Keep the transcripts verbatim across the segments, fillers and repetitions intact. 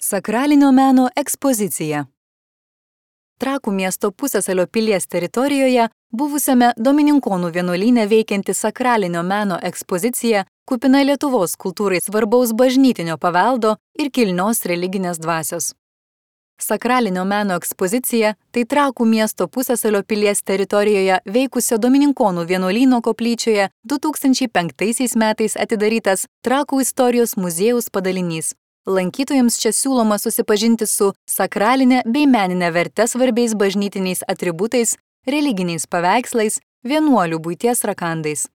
Sakralinio meno ekspozicija. Trakų miesto Pusiasalio pilies teritorijoje buvusiame Domininkonų vienuolyne veikianti sakralinio meno ekspozicija kupina Lietuvos kultūrai svarbaus bažnytinio paveldo ir kilnios religinės dvasios. Sakralinio meno ekspozicija – tai Trakų miesto Pusiasalio pilies teritorijoje veikusio Domininkonų vienuolyno koplyčioje du tūkstančiai penktaisiais metais atidarytas Trakų istorijos muziejaus padalinys. Lankytojams čia siūloma susipažinti su sakraline bei menine verte svarbiais bažnytiniais atributais, religiniais paveikslais, vienuolių buities rakandais.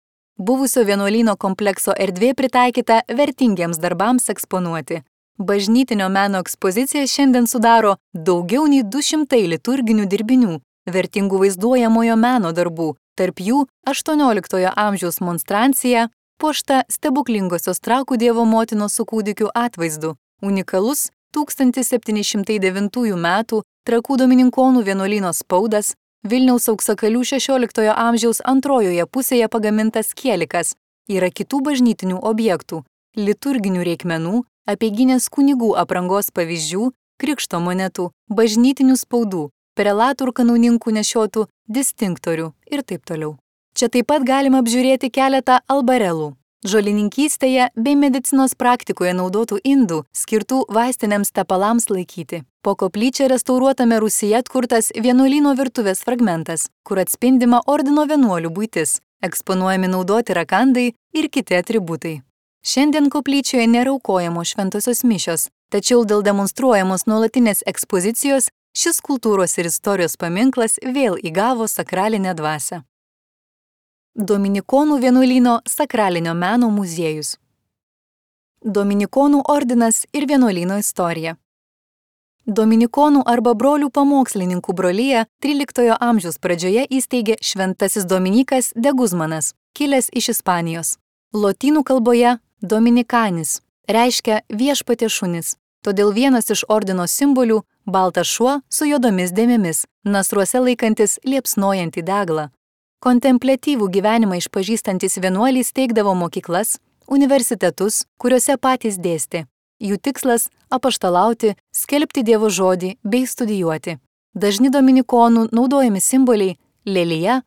Buvusio vienuolyno komplekso erdvė pritaikyta vertingiems darbams eksponuoti. Bažnytinio meno ekspozicija šiandien sudaro daugiau nei du šimtai liturginių dirbinių, vertingų vaizduojamojo meno darbų, tarp jų aštuonioliktojo amžiaus monstrancija, puošta stebuklingosios Trakų Dievo motinos su kūdikiu atvaizdu, unikalus tūkstantis septyni šimtai devintųjų metų Trakų Domininkonų vienuolyno spaudas, Vilniaus Auksakalių šešioliktojo amžiaus antrojoje pusėje pagamintas kielikas, yra kitų bažnytinių objektų, liturginių reikmenų, apeiginės kunigų aprangos pavyzdžių, krikšto monetų, bažnytinių spaudų, prelatų ir kanauninkų nešiotų distinktorių ir taip toliau. Čia taip pat galima apžiūrėti keletą albarelų, žolininkystėje bei medicinos praktikoje naudotų indų, skirtų vaistiniams tepalams laikyti. Po koplyčią restauruotame Rūsyje atkurtas vienuolyno virtuvės fragmentas, kur atspindima ordino vienuolių buitis, eksponuojami naudoti rakandai ir kiti atributai. Šiandien koplyčioje nėra aukojamos šventosios mišios, tačiau dėl demonstruojamos nuolatinės ekspozicijos šis kultūros ir istorijos paminklas vėl įgavo sakralinę dvasią. Dominikonų vienuolyno sakralinio meno muziejus. Dominikonų ordinas ir vienuolyno istorija. Dominikonų arba brolių pamokslininkų brolija tryliktojo amžiaus pradžioje įsteigė šventasis Dominikas de Guzmanas, kilęs iš Ispanijos. Lotynų kalboje Dominikanis reiškia viešpatie šunis, todėl vienas iš ordino simbolių – baltas šuo su juodomis dėmėmis, nasruose laikantis liepsnojantį deglą. Kontempliatyvų gyvenimą išpažįstantis vienuoliai steigdavo mokyklas, universitetus, kuriuose patys dėstė. Jų tikslas – apaštalauti, skelbti Dievo žodį bei studijuoti. Dažni dominikonų naudojami simboliai – lelija,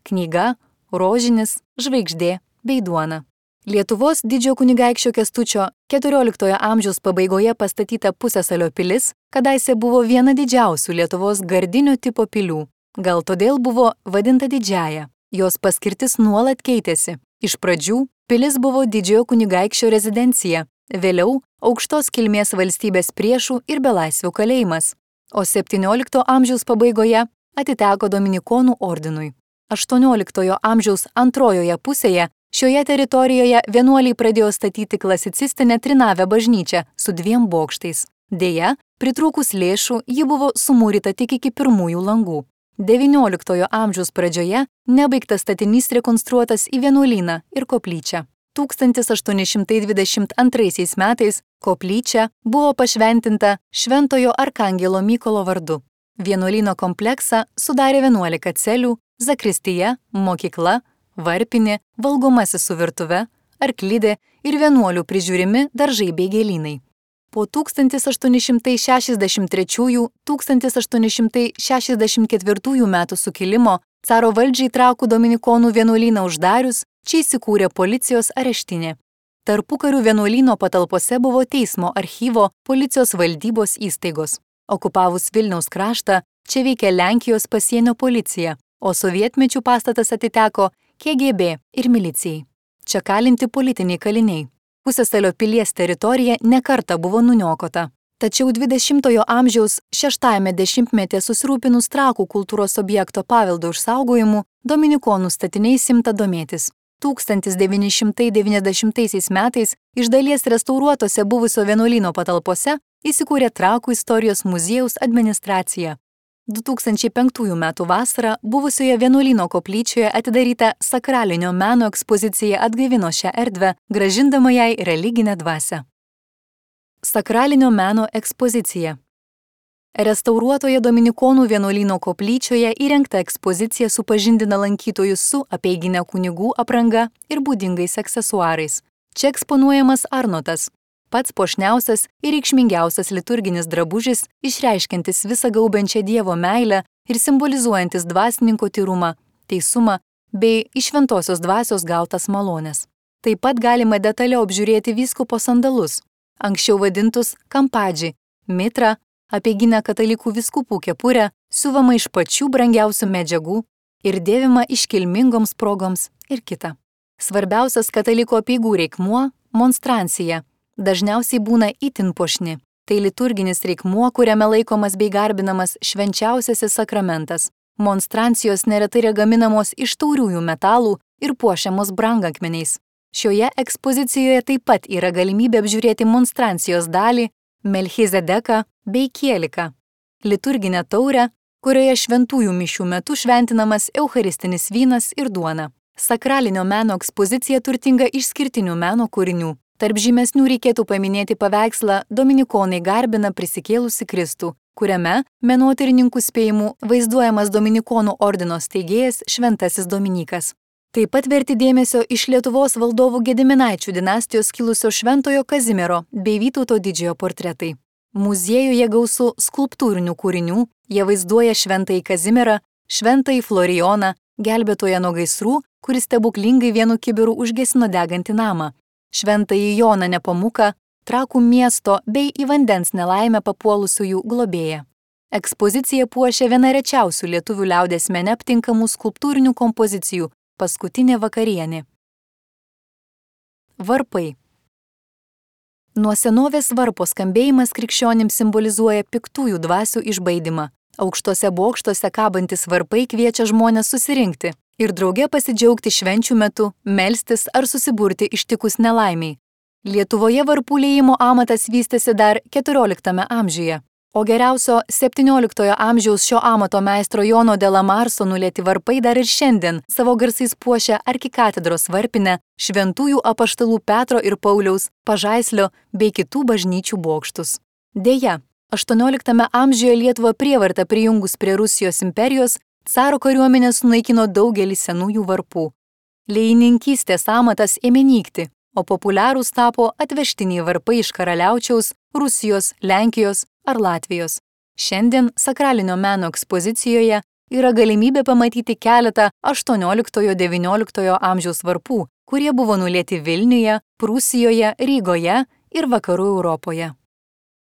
knyga, rožinis, žvaigždė bei duona. Lietuvos didžiojo kunigaikščio Kęstučio keturioliktojo amžiaus pabaigoje pastatyta Pusiasalio pilis kadaise buvo viena didžiausių Lietuvos gardinio tipo pilių. Gal todėl buvo vadinta didžiąja. Jos paskirtis nuolat keitėsi. Iš pradžių pilis buvo didžiojo kunigaikščio rezidencija, vėliau aukštos kilmės valstybės priešų ir belaisvių kalėjimas, o septynioliktojo amžiaus pabaigoje atiteko Dominikonų ordinui. aštuonioliktojo amžiaus antrojoje pusėje šioje teritorijoje vienuoliai pradėjo statyti klasicistinę trinavę bažnyčią su dviem bokštais. Deja, pritrūkus lėšų, ji buvo sumūryta tik iki pirmųjų langų. devynioliktojo amžiaus pradžioje nebaigtas statinys rekonstruotas į vienuolyną ir koplyčią. tūkstantis aštuoni šimtai dvidešimt antraisiais metais koplyčia buvo pašventinta Šventojo Arkangelo Mykolo vardu. Vienuolyno kompleksą sudarė vienuolika celių, zakristija, mokykla, varpinė, valgomasis su virtuve, arklidė ir vienuolių prižiūrimi daržai bei gėlynai. Po tūkstantis aštuoni šimtai šešiasdešimt trečiųjų - tūkstantis aštuoni šimtai šešiasdešimt ketvirtųjų metų sukilimo caro valdžiai Trakų Dominikonų vienuolyną uždarius, čia įsikūrė policijos areštinė. Tarpukariu vienuolyno patalpose buvo teismo archyvo, policijos valdybos įstaigos. Okupavus Vilniaus kraštą, čia veikė Lenkijos pasienio policija, o sovietmečių pastatas atiteko K G B ir milicijai. Čia kalinti politiniai kaliniai. Pusiasalio pilies teritorija nekarta buvo nuniokota. Tačiau dvidešimtojo amžiaus šeštajame dešimtmetyje susirūpinus Trakų kultūros objekto paveldo išsaugojimu, Dominikonų statiniais imta domėtis. tūkstantis devyni šimtai devyniasdešimtaisiais metais iš dalies restauruotose buvusio vienuolyno patalpose įsikūrė Trakų istorijos muziejaus administracija. du tūkstančiai penktųjų metų vasarą buvusioje vienuolyno koplyčioje atidaryta sakralinio meno ekspozicija atgaivino šią erdvę, grąžindama jai religinę dvasią. Sakralinio meno ekspozicija. Restauruotoje Dominikonų vienuolyno koplyčioje įrengta ekspozicija supažindina lankytojus su apeigine kunigų apranga ir būdingais aksesuarais. Čia eksponuojamas Arnotas, Pats puošniausias ir reikšmingiausias liturginis drabužis, išreiškiantis visą gaubiančią Dievo meilę ir simbolizuojantis dvasininko tyrumą, teisumą bei iš šventosios dvasios gautas malones. Taip pat galima detaliau apžiūrėti vyskupo sandalus, anksčiau vadintus kampadži, mitrą, apeiginę katalikų vyskupų kepurę, siuvama iš pačių brangiausių medžiagų ir dėvima iškilmingoms progoms ir kita. Svarbiausias kataliko apeigų reikmuo – monstrancija. Dažniausiai būna itin puošni. Tai liturginis reikmuo, kuriame laikomas bei garbinamas švenčiausiasis sakramentas. Monstrancijos neretai yra gaminamos iš tauriųjų metalų ir puošiamos brangakmeniais. Šioje ekspozicijoje taip pat yra galimybė apžiūrėti monstrancijos dalį, Melchizedeką bei Kieliką. Liturginę taurę, kurioje šventųjų mišių metu šventinamas eucharistinis vynas ir duona. Sakralinio meno ekspozicija turtinga išskirtinių meno kūrinių. Tarp žymesnių reikėtų paminėti paveikslą Dominikonai garbina prisikėlusi Kristų, kuriame menotyrininkų spėjimų vaizduojamas Dominikonų ordino steigėjas Šventasis Dominikas. Taip pat verti dėmesio iš Lietuvos valdovų Gediminaičių dinastijos kilusio Šventojo Kazimiero bei Vytauto Didžiojo portretai. Muziejuje gausu skulptūrinių kūrinių, jie vaizduoja Šventąjį Kazimierą, Šventąjį Florijoną, gelbėtoją nuo gaisrų, kuris stebuklingai vienu kibiru užgesino degantį namą, Šventąjį Joną Nepomuką, Trakų miesto bei į vandens nelaimę papuolusiųjų globėją. Ekspozicija puošia viena rečiausių lietuvių liaudies mene aptinkamų skulptūrinių kompozicijų Paskutinė vakarienė. Varpai. Nuo senovės varpo skambėjimas krikščionims simbolizuoja piktųjų dvasių išbaidymą. Aukštose bokštuose kabantis varpai kviečia žmones susirinkti ir drauge pasidžiaugti švenčių metu, melstis ar susiburti ištikus nelaimiai. Lietuvoje varpų liejimo amatas vystėsi dar keturioliktame amžiuje, o geriausio septynioliktojo amžiaus šio amato meistro Jono de la Marso nulėti varpai dar ir šiandien savo garsais puošia arkikatedros varpinę, šventųjų apaštalų Petro ir Pauliaus, Pažaislio bei kitų bažnyčių bokštus. Deja, aštuonioliktame amžiuje Lietuvą prievarta prijungus prie Rusijos imperijos, caro kariuomenė sunaikino daugelį senųjų varpų. Liejininkystės amatas ėmė nykti, o populiarūs tapo atvežtiniai varpai iš karaliaučiaus, Rusijos, Lenkijos ar Latvijos. Šiandien sakralinio meno ekspozicijoje yra galimybė pamatyti keletą aštuonioliktojo-devynioliktojo amžiaus varpų, kurie buvo nulieti Vilniuje, Prūsijoje, Rygoje ir Vakarų Europoje.